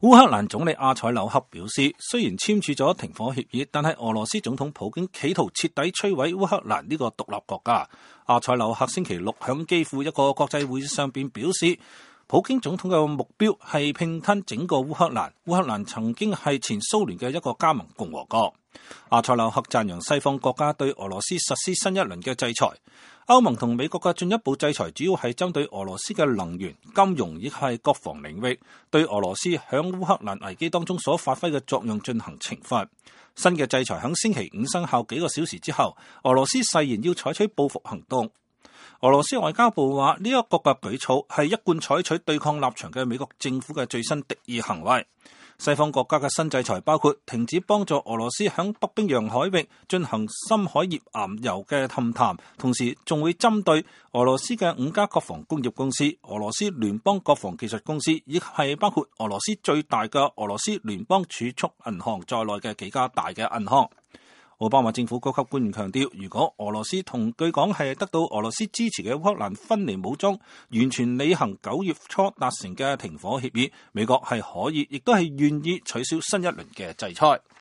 烏克蘭總理阿塞紐克表示，雖然簽署咗停火協議，但係俄羅斯總統普京企圖徹底摧毀烏克蘭呢個獨立國家。阿塞紐克星期六響基輔一個國際會議上邊表示，普京總統嘅目標係併吞整個烏克蘭。烏克蘭曾經係前蘇聯嘅一個加盟共和國。阿塞紐克讚揚西方國家對俄羅斯實施新一輪嘅制裁。歐盟同美國嘅進一步制裁主要係針對俄羅斯嘅能源、金融亦係國防領域，對俄羅斯響烏克蘭危機當中所發揮嘅作用進行懲罰。新嘅制裁響星期五生效幾個小時之後，俄羅斯誓言要採取報復行動。俄羅斯外交部話，呢一個嘅舉措係一貫採取對抗立場嘅美國政府嘅最新敵意行為。西方國家嘅新制裁包括停止幫助俄羅斯響北冰洋海域進行深海頁岩油嘅勘探，同時仲會針對俄羅斯嘅5家國防工業公司、俄羅斯聯邦國防技術公司，以及係包括俄羅斯最大嘅俄羅斯聯邦儲蓄銀行在內嘅幾家大嘅銀行。奧巴馬政府高級官員強調，如果俄羅斯同據講係得到俄羅斯支持嘅烏克蘭分離武裝完全履行9月初達成嘅停火協議，美國係可以亦都係願意取消新一輪嘅制裁。